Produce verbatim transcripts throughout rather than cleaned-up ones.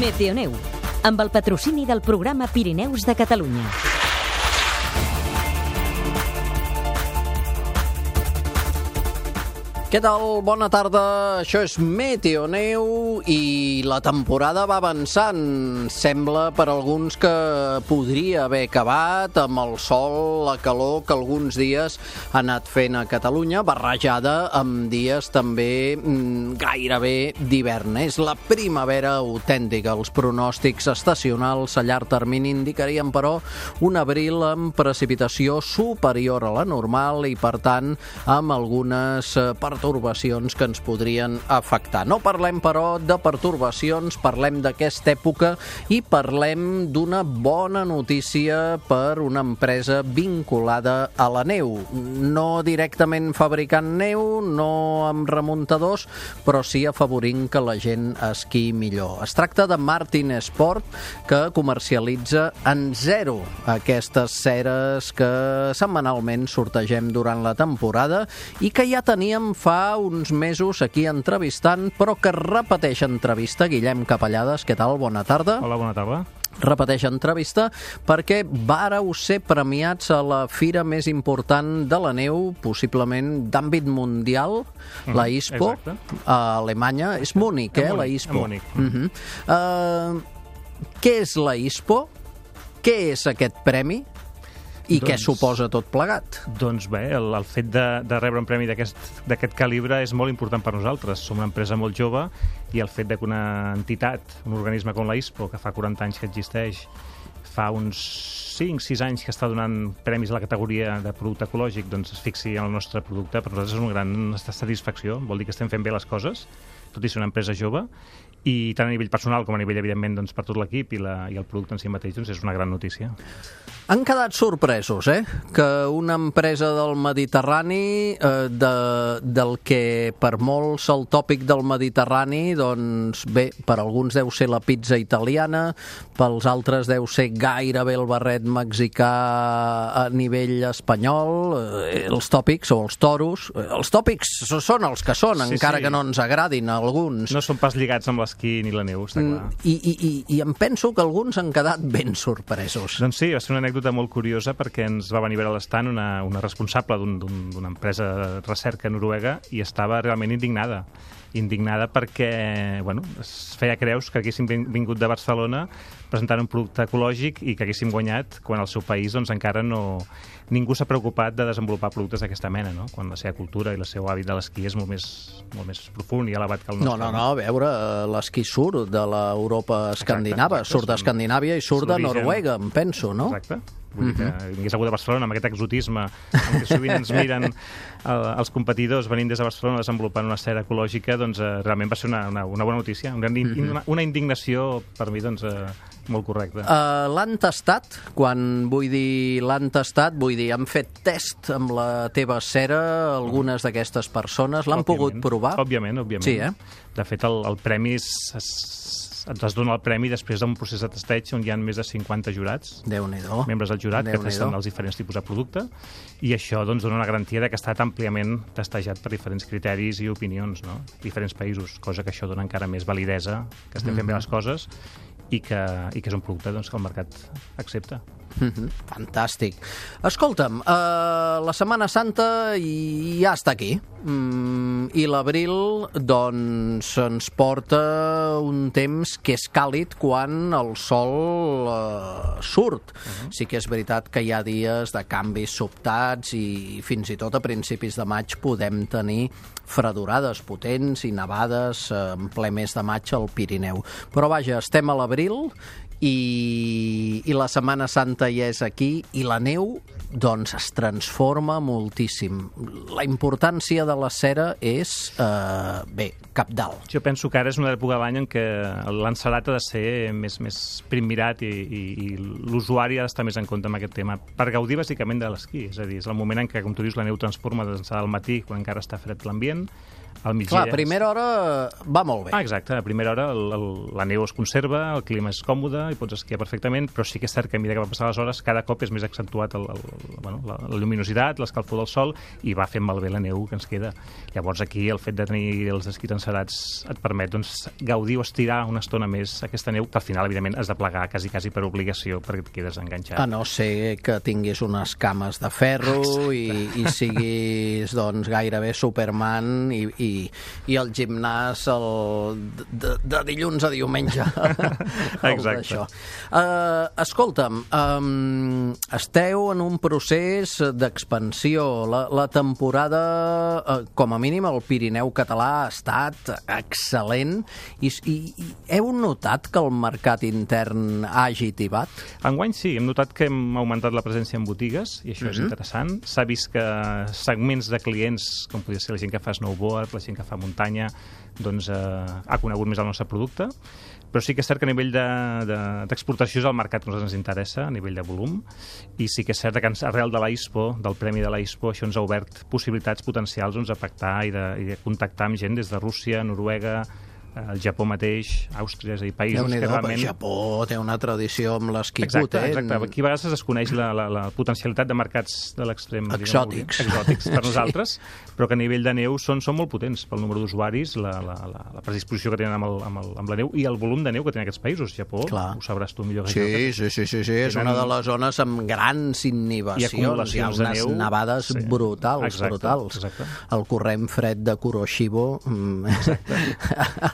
Meteoneu, amb el patrocini del programa Pirineus de Catalunya. Què tal? Bona tarda. Això és Meteoneu i la temporada va avançant. Sembla per alguns que podria haver acabat amb el sol, la calor que alguns dies ha anat fent a Catalunya, barrejada amb dies també mm, gairebé d'hivern. És la primavera autèntica. Els pronòstics estacionals a llarg termini indicarien, però, un abril amb precipitació superior a la normal i, per tant, amb algunes pertorbacions pertorbacions que ens podrien afectar. No parlem, però, de pertorbacions, parlem d'aquesta època i parlem d'una bona notícia per una empresa vinculada a la neu. No directament fabricant neu, no amb remuntadors, però sí afavorint que la gent esquiï millor. Es tracta de Martin Sport, que comercialitza en zero aquestes ceres que setmanalment sortegem durant la temporada i que ja teníem fa fa uns mesos aquí entrevistant, però que repeteix entrevista. Guillem Capellades, què tal? Bona tarda. Hola, bona tarda. Repeteix entrevista perquè vàreu ser premiats a la fira més important de la neu, possiblement d'àmbit mundial, mm, la ISPO, exacte. A Alemanya. És Múnich, eh, la ISPO. Múnich. Uh -huh. uh, què és la ISPO? Què és aquest premi? I doncs, què suposa tot plegat? Doncs bé, el, el fet de, de rebre un premi d'aquest calibre és molt important per nosaltres. Som una empresa molt jove i el fet de que una entitat, un organisme com la ISPO, que fa quaranta anys que existeix, fa uns cinc sis anys que està donant premis a la categoria de producte ecològic, doncs es fixi en el nostre producte, per nosaltres és una gran satisfacció. Vol dir que estem fent bé les coses, tot i ser una empresa jove, i tant a nivell personal com a nivell, evidentment, doncs, per tot l'equip i, la, i el producte en si mateix, doncs, és una gran notícia. Han quedat sorpresos, eh?, que una empresa del Mediterrani, eh, de, del que per molts el tòpic del Mediterrani, doncs bé, per alguns deu ser la pizza italiana, pels altres deu ser gairebé el barret mexicà a nivell espanyol, eh, els tòpics o els toros, eh, els tòpics són els que són, sí, encara sí. que no ens agradin a alguns. No són pas lligats amb l'esquí ni la neu, està clar. I, i, i, I em penso que alguns han quedat ben sorpresos. Doncs sí, va ser una anècdota molt curiosa perquè ens va venir a veure a l'estand una, una responsable d'una un, empresa de recerca noruega i estava realment indignada. indignada perquè, bueno, es feia creus que haguéssim vingut de Barcelona presentant un producte ecològic i que haguéssim guanyat quan al seu país doncs, encara no... ningú s'ha preocupat de desenvolupar productes d'aquesta mena, no? Quan la seva cultura i el seu hàbit de l'esquí és molt més, molt més profund i elevat que el nostre. No, no, no, a veure, l'esquí surt de l'Europa escandinava, exacte, exacte, surt d'Escandinàvia i surt de Noruega, em penso, no? Exacte. Vull dir que vingués algú de Barcelona amb aquest exotisme amb què sovint ens miren el, els competidors venint des de Barcelona desenvolupant una cera ecològica, doncs eh, realment va ser una, una, una bona notícia, una, una, una indignació per mi doncs, eh, molt correcta. Uh, l'han tastat? Quan vull dir l'han tastat, vull dir, han fet test amb la teva cera algunes d'aquestes persones, l'han pogut provar? Òbviament, òbviament. Sí, eh? De fet, el, el premi és... és ens dona el premi després d'un procés de testeig on hi ha més de cinquanta jurats, Déu-n'hi-do. membres del jurat, que testen els diferents tipus de producte, i això doncs, dona una garantia de que ha estat àmpliament testejat per diferents criteris i opinions, no? Diferents països, cosa que això dona encara més validesa, que estem fent bé les coses i que, i que és un producte doncs, que el mercat accepta. Mm-hmm. Fantàstic. Escolta'm, uh, la Setmana Santa ja està aquí. Mm, i l'abril doncs ens porta un temps que és càlid quan el sol uh, surt. Uh-huh. Sí que és veritat que hi ha dies de canvis sobtats i fins i tot a principis de maig podem tenir fredurades potents i nevades en ple mes de maig al Pirineu. Però vaja, estem a l'abril i, i la Setmana Santa ja és aquí i la neu doncs es transforma moltíssim. La importància de la cera és, eh, bé, cabdal. Jo penso que ara és una època de l'any en què l'encelat ha de ser més, més primmirat i, i, i l'usuari ha d'estar més en compte amb aquest tema per gaudir bàsicament de l'esquí. És a dir, és el moment en què, com tu dius, la neu transforma d'ençà del matí, quan encara està fred l'ambient, Al migdia... Clar, a primera hora va molt bé. Ah, exacte. A primera hora el, el, la neu es conserva, el clima és còmode i pots esquiar perfectament, però sí que és cert que a mesura que va passar les hores cada cop és més accentuat el, el, el, bueno, la, la lluminositat, l'escalfor del sol i va fent malbé la neu que ens queda. Llavors aquí el fet de tenir els esquís encerats et permet doncs, gaudir o estirar una estona més aquesta neu que al final, evidentment, has de plegar quasi, quasi per obligació perquè et quedes enganxat. A no ser que tinguis unes cames de ferro i, i siguis doncs, gairebé Superman i, i i el gimnàs el, de, de dilluns a diumenge. Exacte. Uh, escolta'm, um, esteu en un procés d'expansió. La, la temporada, uh, com a mínim, al Pirineu català ha estat excel·lent i, i, i heu notat que el mercat intern ha agitivat? Enguany sí, hem notat que hem augmentat la presència en botigues i això mm-hmm. és interessant. S'ha vist que segments de clients, com podria ser la gent que fa snowboard, la gent que fa muntanya, doncs eh, ha conegut més el nostre producte, però sí que és cert que a nivell d'exportació de, de, és el mercat que a nosaltres ens interessa, a nivell de volum, i sí que és cert que arrel de l'A I S P O, del Premi de l'A I S P O, això ens ha obert possibilitats potencials doncs, a pactar i de, i de contactar amb gent des de Rússia, Noruega, el Japó mateix, Àustria, és a dir, països que realment... El Japó té una tradició amb l'esquí exacte, potent. Exacte, aquí a vegades es desconeix la, la, la potencialitat de mercats de l'extrem... Exòtics. Diguem, exòtics per nosaltres, sí. Però que a nivell de neu són, són molt potents pel número d'usuaris, la, la, la, la predisposició que tenen amb, el, amb, el, amb la neu i el volum de neu que tenen aquests països. Japó, clar. Ho sabràs tu millor que sí, jo. Sí, sí, sí, sí, és una de les zones amb grans inhibicions. Hi ha acumulacions Hi ha unes de neu. nevades sí. brutals, exacte, brutals. Exacte. El corrent fred de Kuroshibo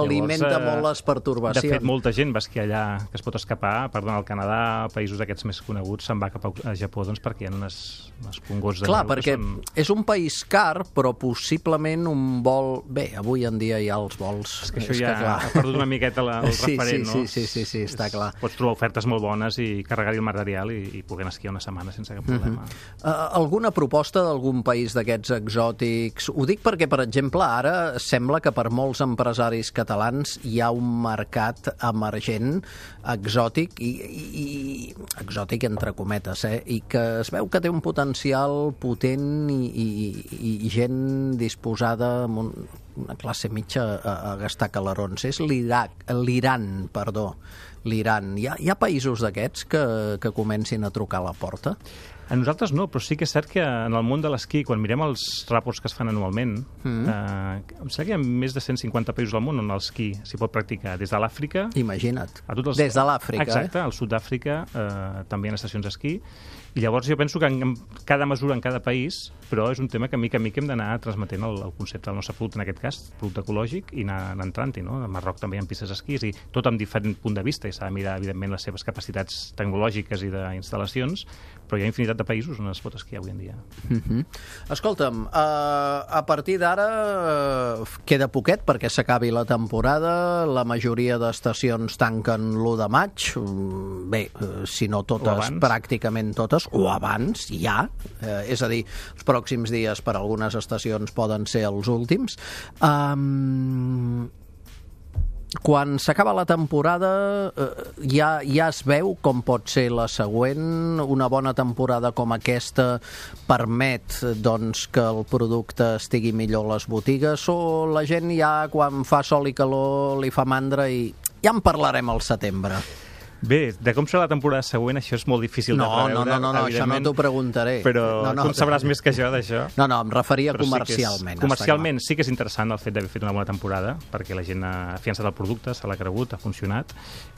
alimenta molt les pertorbacions. De fet, molta gent va esquiar allà, que es pot escapar, perdona, al Canadà, països aquests més coneguts, se'n va cap a Japó, doncs, perquè hi ha unes, unes pungots de clar, neu. Perquè són... és un país car, però possiblement un vol... Bé, avui en dia hi ha els vols... És que això és ja que, ha perdut una miqueta la, el sí, referent, sí, no? Sí, sí, sí, sí, està clar. Pots trobar ofertes molt bones i carregar-hi el material i, i poder esquiar una setmana sense cap problema. Uh-huh. Uh, alguna proposta d'algun país d'aquests exòtics? Ho dic perquè, per exemple, ara sembla que per molts empresaris catalans hi ha un mercat emergent, exòtic, i, i, i exòtic entre cometes, eh? I que es veu que té un potencial potent i, i, i gent disposada amb un, una classe mitja a, a gastar calarons. És l'Iraq, l'Iran, perdó, l'Iran. Hi ha, hi ha països d'aquests que, que comencin a trucar a la porta? A nosaltres no, però sí que és cert que en el món de l'esquí, quan mirem els ràports que es fan anualment, mm. eh, em sembla que hi ha més de cent cinquanta països al món on l'esquí s'hi pot practicar, des de l'Àfrica... Imagina't, a tots els... des de l'Àfrica. Exacte, al sud d'Àfrica eh, també hi ha estacions d'esquí, i llavors jo penso que en, en cada mesura en cada país, però és un tema que mica en mica hem d'anar transmetent el, el concepte del nostre producte, en aquest cas, producte ecològic, i anar, anar entrant-hi, no? A Marroc també hi ha pistes d'esquí, i tot amb diferent punt de vista, i s'ha de mirar, evidentment, les seves capacitats tecnològiques i d'instal·lacions, però hi ha infinitat de països on es pot esquiar avui en dia. Mm-hmm. Escolta'm, uh, a partir d'ara uh, queda poquet perquè s'acabi la temporada, la majoria d'estacions tanquen l'u de maig, bé, uh, si no totes, pràcticament totes, o abans, ja, uh, és a dir, els pròxims dies per a algunes estacions poden ser els últims. Um, Quan s'acaba la temporada eh, ja, ja es veu com pot ser la següent. Una bona temporada com aquesta permet doncs, que el producte estigui millor a les botigues, o la gent ja quan fa sol i calor li fa mandra i ja en parlarem al setembre? Bé, de com serà la temporada següent, això és molt difícil no, de preveure. No, no, no, no, això no t'ho preguntaré. Però no, no, tu en sabràs més que jo d'això. No, no, em referia però comercialment. Sí és, comercialment sí que és interessant el fet d'haver fet una bona temporada, perquè la gent ha afiançat el producte, se l'ha cregut, ha funcionat,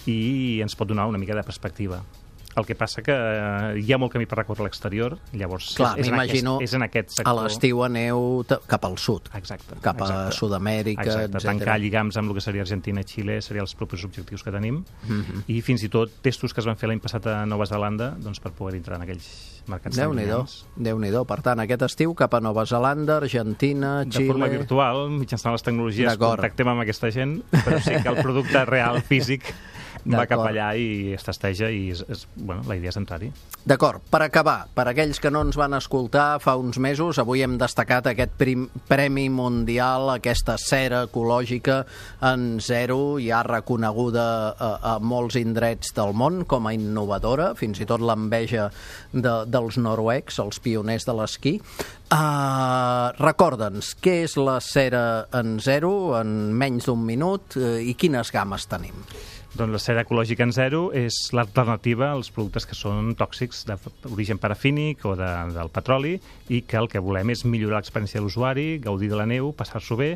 i ens pot donar una mica de perspectiva. El que passa que hi ha molt camí per recórrer a l'exterior, llavors clar, és, és, en aquest, és en aquest sector. A l'estiu aneu cap al sud, exacte, cap a exacte. Sud-amèrica, exacte. etcètera. Tancar lligams amb el que seria Argentina i Xile serien els propers objectius que tenim, mm-hmm. i fins i tot testos que es van fer l'any passat a Nova Zelanda doncs, per poder entrar en aquells mercats. Déu-n'hi-do, Déu-n'hi-do. Per tant, aquest estiu cap a Nova Zelanda, Argentina, Xile... De forma virtual, mitjançant les tecnologies, contactem amb aquesta gent, però sí que el producte real, físic, va cap allà i es testeja i és, és, bueno, la idea és entrar-hi. D'acord, per acabar, per aquells que no ens van escoltar fa uns mesos, avui hem destacat aquest prim, Premi Mundial, aquesta cera ecològica en zero, ja reconeguda a, a molts indrets del món com a innovadora, fins i tot l'enveja de, dels noruecs, els pioners de l'esquí. Uh, Recorda'ns, què és la cera en zero en menys d'un minut uh, i quines games tenim? Doncs la cera ecològica en zero és l'alternativa als productes que són tòxics d'origen parafínic o de, del petroli i que el que volem és millorar l'experiència de l'usuari, gaudir de la neu, passar-s'ho bé,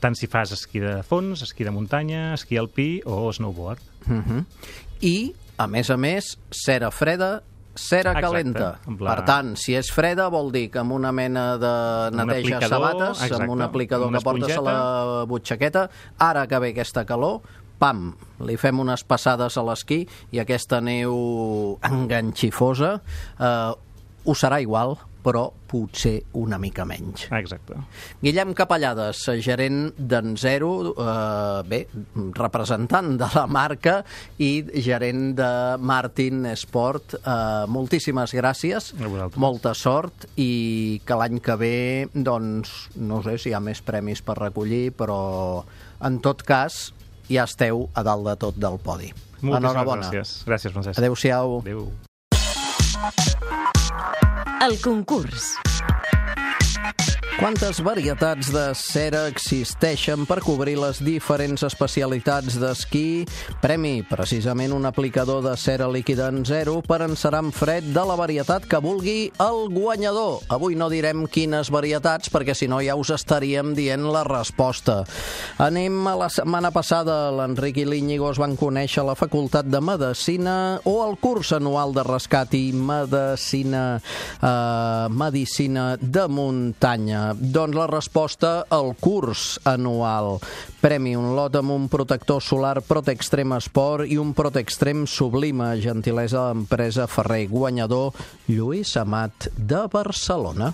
tant si fas esquí de fons, esquí de muntanya, esquí alpí o snowboard. Uh-huh. I, a més a més, cera freda, cera Exacte, calenta. la... Per tant, si és freda vol dir que amb una mena de neteja sabates, exacte, amb un aplicador que portes a la butxaqueta, ara que ve aquesta calor, pam, li fem unes passades a l'esquí i aquesta neu enganxifosa eh, ho serà igual, però potser una mica menys. Exacte. Guillem Capellades, gerent d'en Zero, eh, bé, representant de la marca i gerent de Martin Sport. Eh, moltíssimes gràcies, molta sort i que l'any que ve, doncs, no sé si hi ha més premis per recollir, però en tot cas ja esteu a dalt de tot del podi. Moltíssimes gràcies. Gràcies, Francesc. Adéu-siau. Adéu. El concurs. Quantes varietats de cera existeixen per cobrir les diferents especialitats d'esquí? Premi, precisament un aplicador de cera líquida en zero per encerar amb fred de la varietat que vulgui el guanyador. Avui no direm quines varietats perquè si no ja us estaríem dient la resposta. Anem a la setmana passada. L'Enric i l'Iñigo es van conèixer a la Facultat de Medicina o al curs anual de rescat i medicina, eh, medicina de muntanya. Doncs la resposta al curs anual. Premi, un lot amb un protector solar Protextrem Sport i un Protextrem Sublime, gentilesa de l'empresa Ferrer. Guanyador, Lluís Amat de Barcelona.